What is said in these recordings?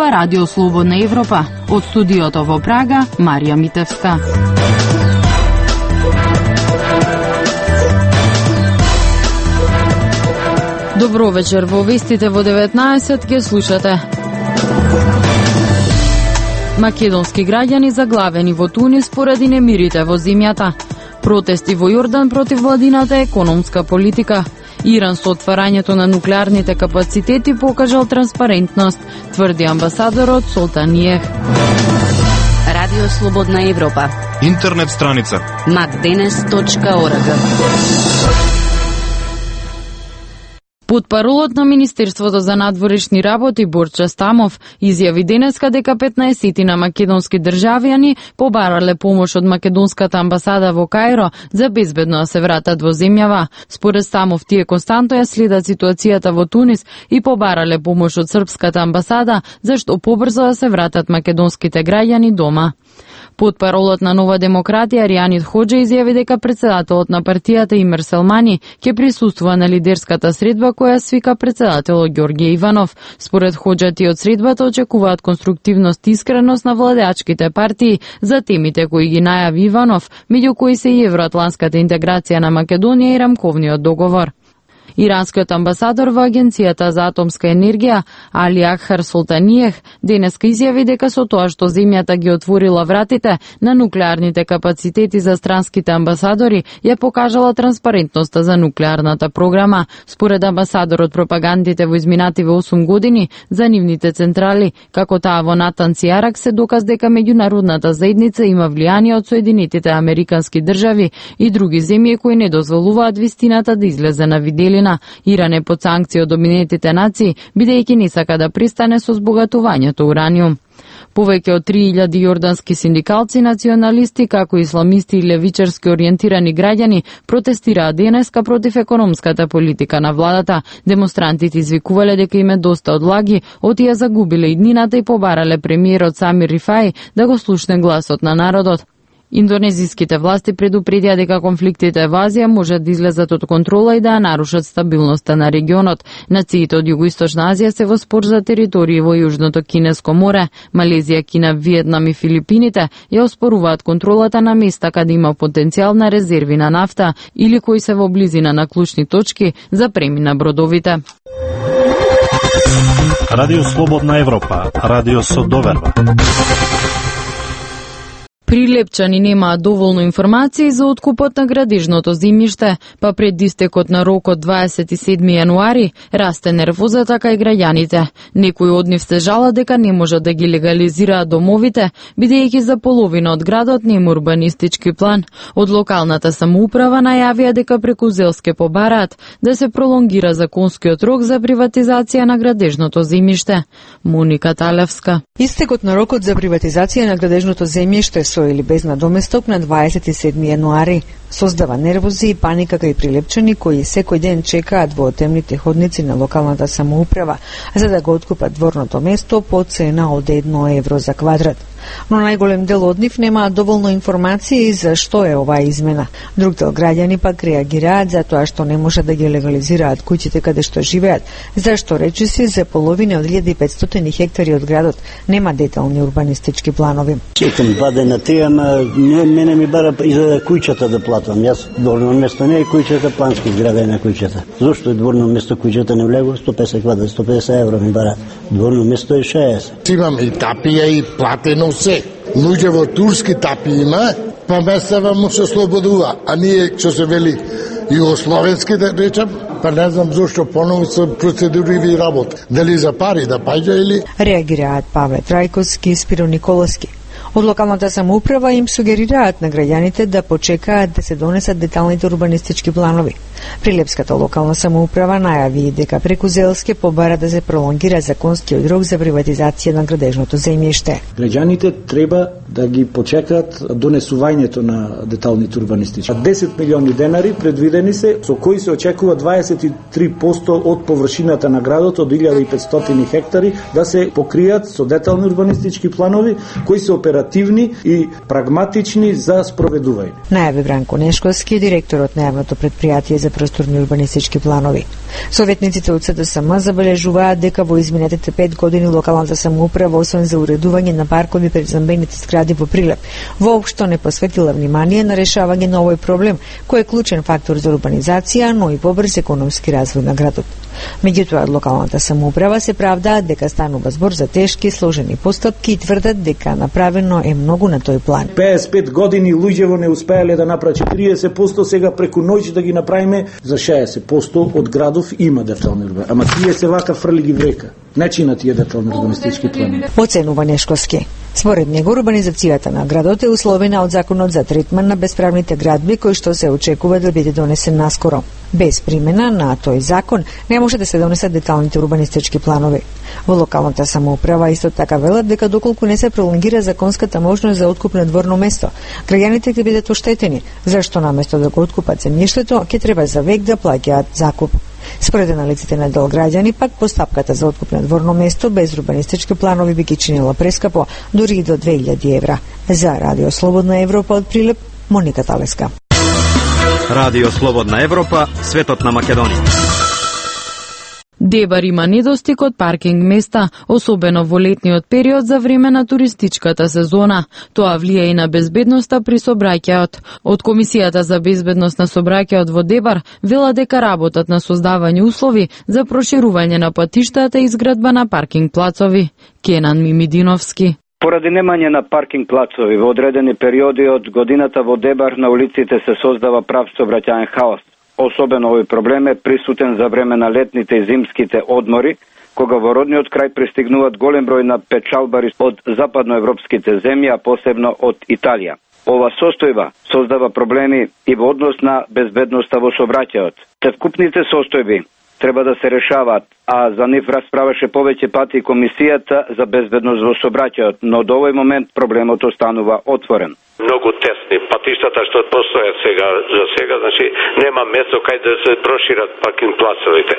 Ова Радио Слободна Европа. Од студиото во Прага, Марија Митевска. Добро вечер, во вестите во 19 ќе слушате. Македонски граѓани заглавени во Тунис поради немирите во земјата. Протести во Јордан против владината економска политика. Иран со отварањето на нуклеарните капацитети покажал транспарентност, тврди амбасадорот Солтаниев. Радио Слободна Европа. Интернет страница macdenes.org. Потпаролот на Министерството за надворешни работи Борча Стамов изјави денеска дека 15 на македонски државјани побарале помош од македонската амбасада во Кајро за безбедно да се вратат во земјава. Според Стамов, тие константно ја следат ситуацијата во Тунис и побарале помош од српската амбасада зашто побрзо да се вратат македонските граѓани дома. Потпаролот на Нова демократија Ријанит Хоџа изјави дека председателот на партијата Имер Селмани ќе присуствува на лидерската средба која свика председателот Ѓорѓе Иванов. Според Хоџа, тие од средбата очекуваат конструктивност и искреност на владеачките партии за темите кои ги најави Иванов, меѓу кои се и евроатланската интеграција на Македонија и рамковниот договор. Иранскиот амбасадор во Агенцијата за атомска енергија Али Акхар Солтаниев денеска изјави дека со тоа што земјата ги отворила вратите на нуклеарните капацитети за странските амбасадори ја покажала транспарентноста за нуклеарната програма. Според амбасадорот, пропагандите во изминативе 8 години за нивните централи, како таа во Натанс и Арак, се доказ дека меѓународната заедница има влијание од Соединетите Американски држави и други земји кои не дозволуваат вистината да излезе на виделина. Иран е под санкција од Обединетите нации, бидејќи не сака да пристане со збогатувањето ураниум. Повеќе од 3000 јордански синдикалци, националисти, како исламисти и левичарски ориентирани граѓани протестираат денеска против економската политика на владата. Демонстрантите извикувале дека им е доста од лаги, отија загубиле иднината и побарале премиерот Самир Рифаи да го слушне гласот на народот. Индонезиските власти предупредија дека конфликтите во Азија можат да излезат од контрола и да нарушат стабилноста на регионот. Нациите од Југоисточна Азија се во спор за територии во Јужното Кинеско море. Малезија, Кина, Виетнам и Филипините ја оспоруваат контролата на места каде има потенцијал на резерви на нафта или кои се во близина на клучни точки за премина бродовите. Радио Слободна Европа, радио со доверба. Прилепчани немаат доволно информации за откупот на градежното земјиште, па пред истекот на рокот 27 јануари расте нервозата кај граѓаните. Некои од нив се жалат дека не можат да ги легализираат домовите, бидејќи за половина од градот нема урбанистички план. Од локалната самоуправа најавија дека преку Зелске побараат да се пролонгира законскиот рок за приватизација на градежното земјиште. Моника Талевска. Истекот на рокот за приватизација на градежното земјиште со или без надоместок на 27 јануари создава нервози и паника кај прилепчани кои секој ден чекаат во темните ходници на локалната самоуправа за да го откупат дворното место по цена од 1 евро за квадрат. Но најголем дел од нив немаат доволно информации за што е оваа измена. Друг дел граѓани пак реагираат за тоа што не можат да ги легализираат куќите каде што живеат, зашто речиси за половина од 1500 хектари од градот нема детални урбанистички планови. Чекам 2 дена тие, ама мене ми бара и за куќата да платам. Јас дворно место не е куќата, плански зграда е на куќата. Зошто е дворно место куќата не влего? 150 квадрат, 150 евро ми бара. Дворно место е 60. Имам и тапија и платено се. Луѓе во турски тапи има, па месева му се слободува. А ние, што се вели, југословенски да речам, па не знам зошто поново се процедури и работа. Дали за пари да паѓа или... Реагираат Павле Трајковски и Спиро Николовски. Од локалната самоуправа им сугерираат на граѓаните да почекаат да се донесат деталните урбанистички планови. Прилепската локална самоуправа најави дека преку Зелске побара да се пролонгира законскиот рок за приватизација на градежното земјиште. Граѓаните треба да ги почекаат донесувањето на деталните урбанистички. 10 милиони денари предвидени се, со кои се очекува 23% од површината на градот од 1500 хектари да се покријат со детални урбанистички планови кои се оперативни и прагматични за спроведување. Најави Бранко Нешковски, директорот на јавното предпријатие за просторни урбанистички планови. Советниците од СДСМ забележуваат дека во изминатите 5 години локалната самоуправа, освен за уредување на паркови пред замбените згради во Прилеп, воопшто не посветила внимание на решавање на овој проблем, кој е клучен фактор за урбанизација, но и побрз економски развој на градот. Меѓутоа, локалната самоуправа се правдаат дека станува збор за тешки, сложени постапки и тврдат дека направено е многу на тој план. 55 години луѓево не успеале да направат 40%, сега преку ноќ да ги направиме за 60% од градов има детални урбани. Ама тие се вака фрли ги врека. Не чина тие детални урбанистички планови. Оценува Нешковски. Според него, урбанизацијата на градот е условена од законот за третман на бесправните градби, кој што се очекува да биде донесен наскоро. Без примена на тој закон не може да се донесат деталните урбанистички планови. Во локалната самоуправа исто така велат дека доколку не се пролонгира законската можност за откуп на дворно место, граѓаните ќе бидат оштетени, зашто наместо да го откупат земјиштето, ќе треба за век да плаќаат закуп. Според аналиците на дел граѓани, пак постапката за откуп на дворно место без урбанистички планови би ги чинила прескапо, дури и до 2000 евра. За Радио Слободна Европа од Прилеп, Моника Талеска. Радио Слободна Европа, светот на Македонија. Дебар има недостиг од паркинг места, особено во летниот период за време на туристичката сезона. Тоа влија и на безбедноста при сообраќајот. Од Комисијата за безбедност на сообраќајот во Дебар вела дека работат на создавање услови за проширување на патиштата и изградба на паркинг плацови. Кенан Мимидиновски. Поради немање на паркинг плацови во одредени периоди од годината во Дебар на улиците се создава прав сообраќајен хаос. Особено овој проблем е присутен за време на летните и зимските одмори, кога во родниот крај пристигнуваат голем број на печалбари од западноевропските земји, а посебно од Италија. Ова состојба создава проблеми и во однос на безбедноста во сообраќајот. Совкупните состојби треба да се решаваат, а за нив расправаше повеќе пати Комисијата за безбедност во сообраќајот, но до овој момент проблемот останува отворен. Многу тесни патиштата што постојат сега, значи нема место кај да се прошират паркинг плацовите.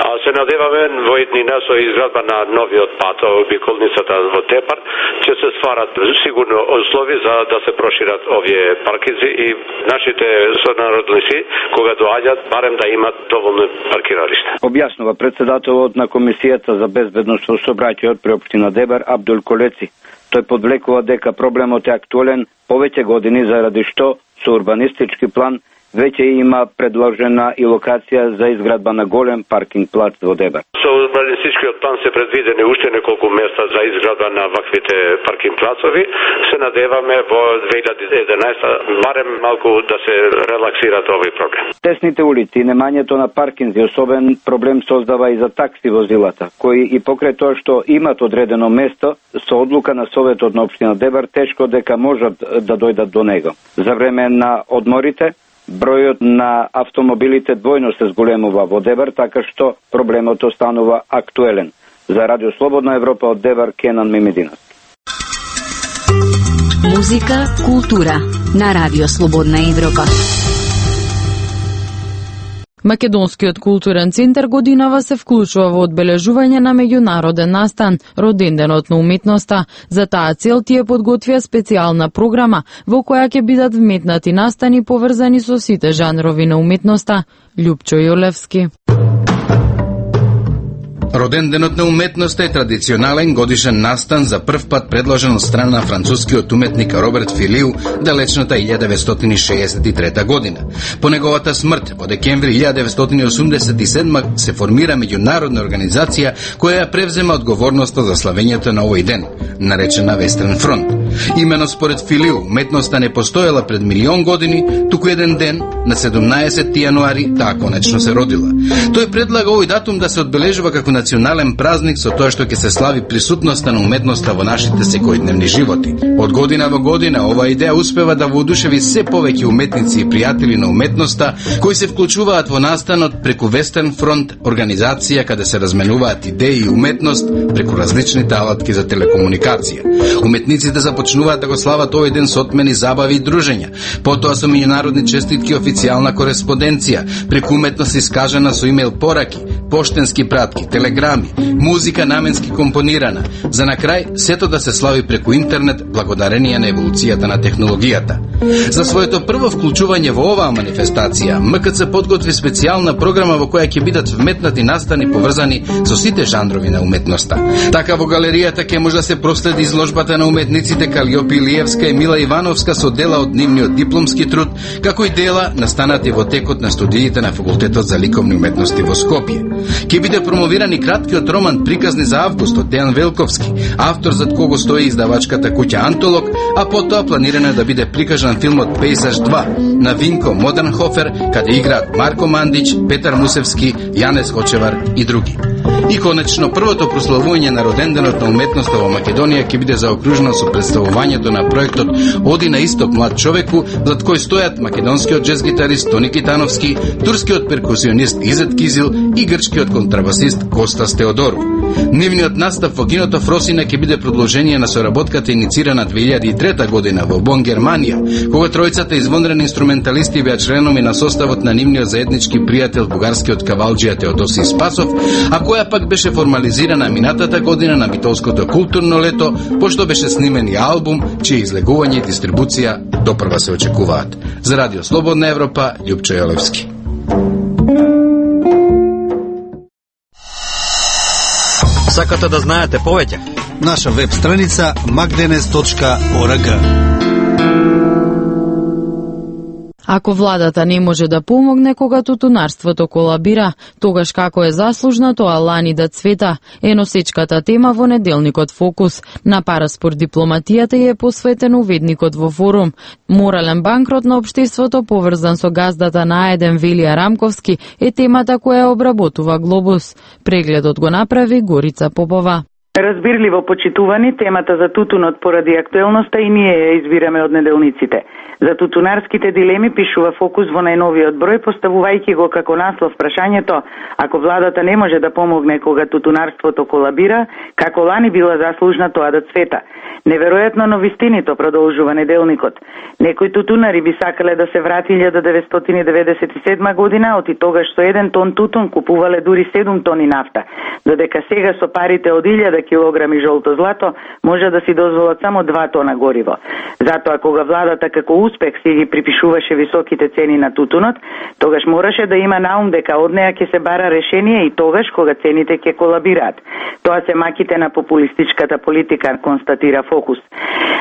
А се надеваме во иднина со изградба на новиот пат, обиколницата во Тепар, ќе се стварат сигурно услови за да се прошират овие паркинзи и нашите сонародници кога доаѓаат барем да имат доволно паркиралишта. Објаснува председателот на Комисијата за безбедност во сообраќајот при општина Дебар Абдул Колеци. Тој подвлекува дека проблемот е актуелен повеќе години заради што со урбанистички план веќе има предложена и локација за изградба на голем паркинг плац во Дебар. Со урбанистичкиот план се предвидени уште неколку места за изградба на ваквите паркинг плацови. Се надеваме во 2011 барем малку да се релаксира овој проблем. Тесните улици и немањето на паркинзи особен проблем создава и за такси возилата, кои и покрај тоа што имат одредено место, со одлука на Советот на општина Дебар тешко дека можат да дојдат до него. За време на одморите бројот на автомобилите двојно се зголемува во Дебар, така што проблемот останува актуелен. За Радио Слободна Европа од Дебар, Кенан Мимидиновски. Музика, култура на Радио Слободна Европа. Македонскиот културен центар годинава се вклучува во одбележување на меѓународен настан, Роденденот на уметноста. За таа цел тие подготвија специјална програма во која ќе бидат вметнати настани поврзани со сите жанрови на уметноста. Љупчо Јолевски. Роденденот на уметноста е традиционален годишен настан за прв пат предложен од страна на францускиот уметник Роберт Филиу далечната 1963 година. По неговата смрт во декември 1987 се формира меѓународна организација која ја превзема одговорноста за славењето на овој ден, наречена Вестерн фронт. Имено според Филиу, уметноста не постоела пред милион години, туку еден ден, на 17 јануари, таа конечно се родила. Тој предлага овој датум да се одбележува како национален празник со тоа што ќе се слави присутноста на уметноста во нашите секојдневни животи. Од година во година оваа идеја успева да воодушеви се повеќе уметници и пријатели на уметноста кои се вклучуваат во настанот преку Вестерн фронт, организација каде се разменуваат идеи и уметност преку различните алатки за телекомуникација. Уметниците започнуваат да го слават овој ден со отмени, забави и дружења, потоа со меѓународни честитки, официјална кореспонденција, преку уметност искажана со имејл пораки, поштенски пратки, телеграми, музика наменски компонирана, за на крај сето да се слави преку интернет благодарение на еволуцијата на технологијата. За своето прво вклучување во оваа манифестација, МКЦ подготви специјална програма во која ќе бидат вметнати настани поврзани со сите жанрови на уметноста. Така во галеријата ќе може да се проследи изложбата на уметниците Калиопи Илиевска и Мила Ивановска со дела од нивниот дипломски труд, како и дела настанати во текот на студиите на Факултетот за ликовни уметности во Скопје. Ќе биде промовирани краткиот роман Приказни за август од Дејан Велковски, автор зад кого стои издавачката куќа Антолог, а потоа планирано да биде прикажан филмот Пейсаж 2 на Винко Модернхофер, каде играат Марко Мандич, Петар Мусевски, Јанес Хочевар и други. И конечно, првото прославување на роденденот на уметноста во Македонија ќе биде заокружено со представувањето на проектот Оди на исток млад човеку, зад кој стојат македонскиот джез гитарист Тони Китановски, турскиот перкусионист Изет Кизил и грчкиот контрабасист Костас Теодору. Нивниот настав во киното Фросина ќе биде продолжение на соработката иницирана 2003 година во Бон, Германија, кога тројцата извонредни инструменталисти беа членови на составот на нивниот заеднички пријател бугарскиот кавалџија Теодосиј Спасов, а која пак беше формализирана минатата година на Битолското културно лето, пошто беше снимен и албум, чие излегување и дистрибуција допрва се очекуваат. За Радио Слободна Европа, Љупчо Јолевски. Сакате да знаете повеќе? Наша веб страница magdenes.org. Ако владата не може да помогне кога тутунарството колабира, тогаш како е заслужна тоа лани да цвета, е носечката тема во неделникот Фокус. На Параспорт дипломатијата е посветен уведникот во форум. Морален банкрот на општеството поврзан со газдата на Аеден Велија Рамковски е темата која обработува Глобус. Прегледот го направи Горица Попова. Разбирливо почитувани, темата за тутунот поради актуелноста и ние ја избираме од неделниците. За тутунарските дилеми пишува Фокус во најновиот број, поставувајќи го како наслов прашањето: ако владата не може да помогне кога тутунарството колабира, како лани била заслужна тоа да цвета? Неверојатно, но вистинито, продолжува неделникот. Некои тутунари би сакале да се врати 1997 година, оти тогаш со 1 тон тутун купувале дури 7 тони нафта, додека сега со парите од 1000 килограми жолто злато може да си дозволат само 2 тона гориво. Затоа кога владата како успех си ги припишуваше високите цени на тутунот, тогаш мораше да има наум дека од неа ќе се бара решение и тогаш кога цените ќе колабираат. Тоа се маките на популистичката политика, констатира Фокус.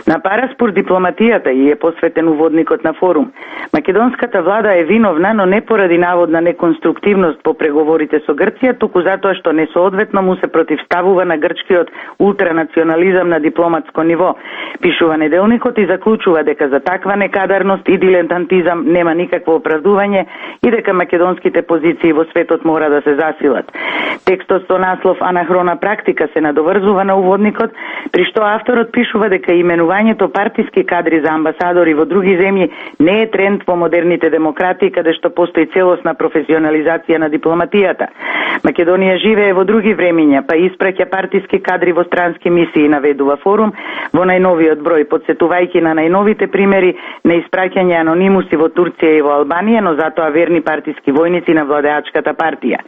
На Параспорт дипломатијата и е посветен уводникот на форум. Македонската влада е виновна, но не поради наводна неконструктивност по преговорите со Грција, туку затоа што несоодветно му се противставува на грчкиот ултранационализам на дипломатско ниво. Пишува неделникот и заклучува дека за таква некадарност и дилетантизам нема никакво оправдување и дека македонските позиции во светот мора да се засилат. Текстот со наслов "Анахрона практика" се надоврзува на уводникот, при што авторот пишува дека именувањето партиски кадри за амбасадори во други земји не е тренд во модерните демократии каде што постои целосна професионализација на дипломатијата. Македонија живее во други времиња, па испраќа партиски кадри во странски мисии, наведува форум во најновиот број, подсетувајќи на најновите примери на испраќање анонимуси во Турција и во Албанија, но затоа верни партиски војници на владеачката партија.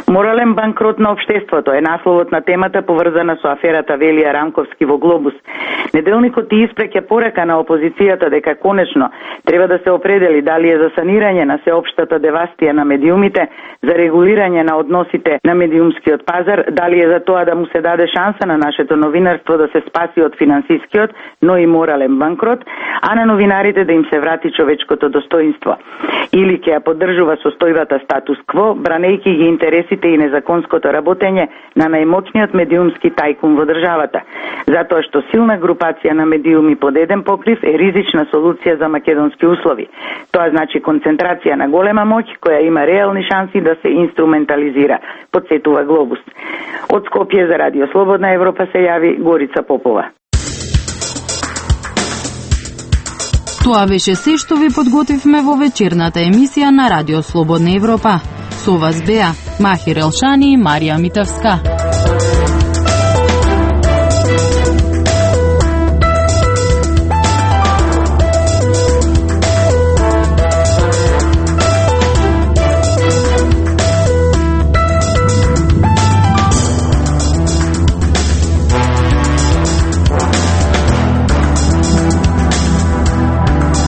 Морален банкрот на општеството е насловот на темата поврзана со аферата Велија Рамковски во Глобус. Неделникот ти испраќа порака на опозицијата дека конечно треба да се определи дали е за санирање на сеопштата девастија на медиумите, за регулирање на односите на медиумскиот пазар, дали е за тоа да му се даде шанса на нашето новинарство да се спаси од финансискиот, но и морален банкрот, а на новинарите да им се врати човечкото достоинство. Или ќе ја поддржува состојбата статус кво, бранејќи ги интересите и незаконското работење на најмоćниот медиумски тајкун во државата. Затоа што силна групација на медиуми под еден покрив е ризична солуција за македонски услови. Тоа значи концентрација на голема моќ која има реални шанси да се инструментализира, подсетува Глобус. Од Скопје за Радио Слободна Европа се јави Горица Попова. Тоа беше се што ви подготвивме во вечерната емисија на Радио Слободна Европа. Со вас беа Махир Елшани и Марија Митевска.